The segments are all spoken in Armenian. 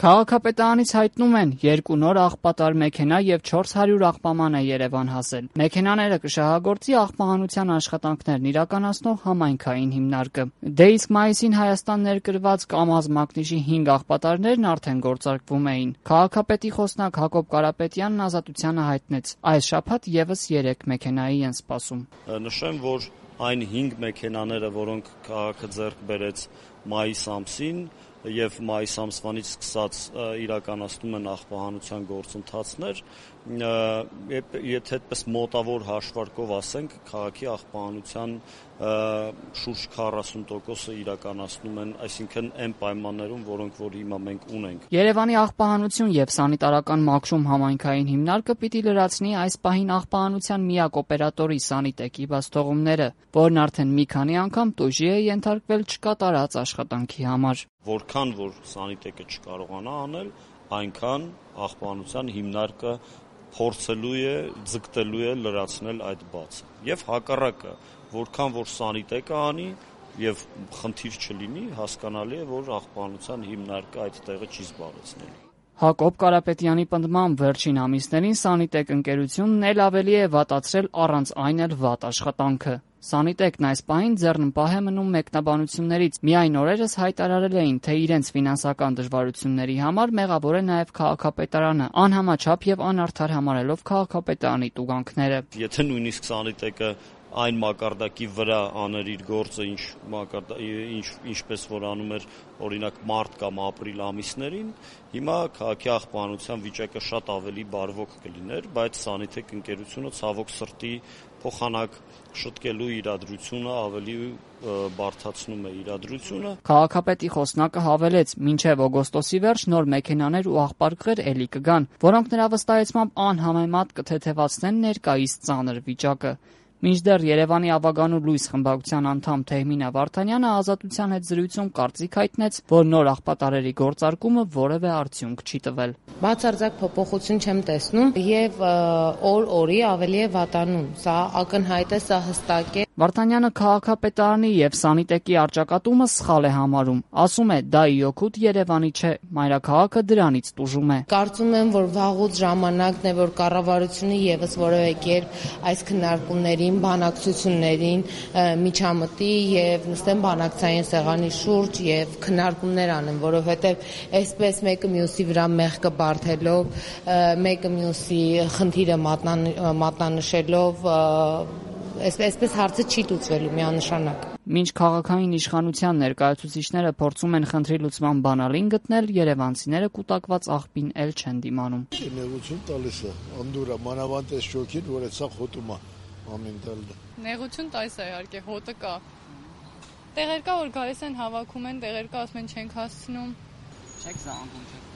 Քաղաքապետարանից հայտնում են, 2 նոր աղբատար մեքենա եւ 400 աղբաման է Երևան հասել։ Մեքենաները կշահագործի աղբահանության աշխատանքներն իրականացնող համայնքային հիմնարկը։ Դե իսկ մայիսին Հայաստան ներկրված Կամազ մակնիշի 5 աղբատարներն արդեն գործարկվում էին։ Քաղաքապետի խոսնակ Հակոբ Կարապետյանն Ազատությանը հայտնեց, այս շաբաթ եւս 3 մեքենայի են սպասում։ Նշեմ, որ այն 5 մեքենաները, որոնք քաղաքը ձեռք բերեց մայիս ամսին եւ մայիս ամսվանից սկսած իրականացնում են աղբահանության գործընթացներ, եթե այդպես մոտավոր հաշվարկով ասենք, քաղաքի աղբահանության շուրջ 40%-ը իրականացնում են, այսինքն այն պայմաններում, որոնք որ հիմա մենք ունենք։ Երևանի աղբահանություն եւ սանիտարական մաքրում համայնքային հիմնարկը պիտի լրացնի այս պահին աղբահանության միակ օպերատորի Սանիտեկի բացթողումները, որն արդեն մի քանի անգամ տուժի է ենթարկվել չկատարած աշխատանքի համար։ Որքան որ Սանիտեկը չկարողանա անել, այնքան աղբահանության հիմնարկը փորձելու է, ձգտելու է լրացնել այդ բացը։ Եվ հակառակը, որքան որ Սանիտեկը անի եւ խնդիր չլինի, հասկանալի է, որ աղբահանության հիմնարկը այդ տեղը չի զբաղեցնելու։ Հակոբ Կարապետյանի պնդմամբ վերջին ամիսներին Սանիտեկ ընկերությունն էլ ավելի է վատացրել առանց այն էլ վատ աշխատանքը։ Սանիտեկն այս պահին ձեռնպահ է մնում մեկնաբանություններից։ Միայն օրերս հայտարարել էին, թե իրենց ֆինանսական դժվարությունների համար մեղավոր է նաև քաղաքապետարանը, անհամաչափ եւ անարդար համարելով քաղաքապետարանի տուգանքները։ Եթե նույնիսկ Սանիտեկը այն մակարդակի վրա աներ իր գործը, ինչպես որ անում էր օրինակ մարտ կամ ապրիլ ամիսներին, հիմա քաղաքի աղբահանության վիճակը շատ ավելի բարվոք կլիներ, բայց Սանիտեկ ընկերությունը ցավոք սրտի փոխանակ շտկելու իրադրությունը ավելի բարդացնում է իրադրությունը։ Քաղաքապետի խոսնակը հավելեց, մինչև օգոստոսի վերջ նոր մեքենաներ ու աղբարկղեր էլի կգան, որոնք նրա վստահեցմամբ անհամեմատ կթեթևացնեն ներկայիս ծանր վիճակը։ Մինչդեռ Երևանի Ավագանու լույս խմբակցության անդամ Թեհմինա Վարդանյանը Ազատության հետ զրույցում կարծիք հայտնեց, որ նոր աղբատարերի գործարկումը որևէ արդյունք չի տվել։ Բացարձակ փոփոխություն չեմ տեսնում եւ օր-օրի ավելի է վատանում։ Սա ակնհայտ է, սա հստակ է։ Վարդանյանը քաղաքապետարանի եւ Սանիտեկի առճակատումը սխալ է համարում։ Ասում է, դա ի օգուտ Երևանի չէ, մայրաքաղաքը դրանից տուժում է։ Կարծում եմ, որ վաղուց ժամանակն է, որ կառավարությունը եւս որևէ կերպ այս քննարկումներին, բանակցություններին միջամտի եւ նստեն բանակցային սեղանի շուրջ եւ քննարկումներ անեն, որովհետեւ այսպես մեկը մյուսի վրա մեղքը բարթելով, մեկը մյուսի խնդիրը մատնանշելով այսպես հարցը չի լուծվելու միանշանակ։ Մինչ քաղաքային իշխանության ներկայացուցիչները փորձում են խնդրի լուծման բանալին գտնել, երևանցիները կուտակված աղբին էլ չեն դիմանում։ Նեղություն տալիս է, անդուրա, մանավանդ այս շոքին, որ այդ սա խոտում է ամեն տալը։ Նեղություն տալիս է իհարկե, հոտը կա։ Տեղեր կա, որ գալիս են հավաքում են, տեղեր կա, ասում են չենք հասցնում։ Չեք զանգում, չեք։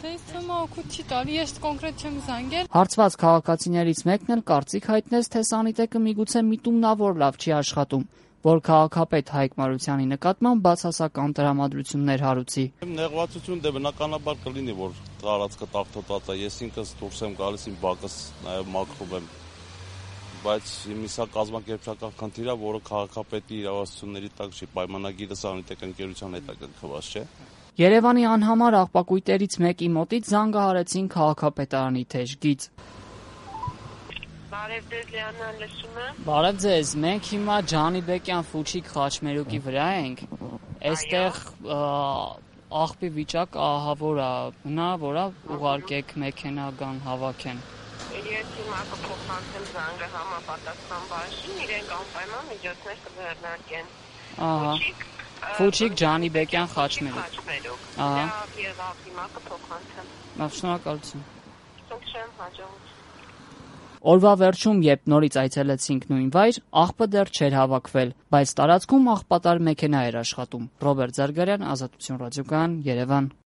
Դες թվում օգուտ չի տալի, ես կոնկրետ չեմ զանգել։ Հարցված քաղաքացիներից մեկն էլ կարծիք հայտնեց, թե Սանիտեկը միգուցե միտումնավոր լավ չի աշխատում, որ քաղաքապետ Հայկ Մարությանի նկատմամբ բացասական տրամադրություններ հարուցի։ Նեղվածություն դե բնականաբար կլինի, որ տարածքը տաղտոտած է, ես ինքս դուրս եմ գալիս, իմ բակս նաև մաքրում եմ, բայց սա կազմակերպչական խնդիր է, որը քաղաքապետի իրավասությունների տակ չի, պայմանագիրը Սանիտեկ ընկերության հետ է կնքված, չէ։ Երևանի անհամար աղբակույտերից մեկի մոտից զանգահարեցին քաղաքապետարանի թեժգից։ Բարև ձեզ, Լիանան, լսում եմ։ Բարև ձեզ, մենք հիմա Ջանիբեկյան Ֆուչիկ Խաչմերուկի վրա ենք։ Այստեղ աղբի վիճակ ահավոր է, նա որը ուղարկեք մեքենա գան հավաքեն։ Ես հիմա կփոխանցեմ զանգը համապատասխան բաժին, իրենք անպայման միջոցներ կձեռնարկեն։ Ահա։ Ֆուչիկ Ջանիբեկյան Խաչմերուկ։ Ահա։ Եվ հիմա կփոխանցեմ։ Շնորհակալություն։ Շնորհակալ հաջողություն։ Օրվա վերջում, երբ նորից այցելեցինք նույն վայր, աղբը դեռ չէր հավաքվել, բայց տարածքում աղբատար մեքենա էր աշխատում։ Ռոբերտ Զարգարյան, Ազատություն ռադիոկայան, Երևան։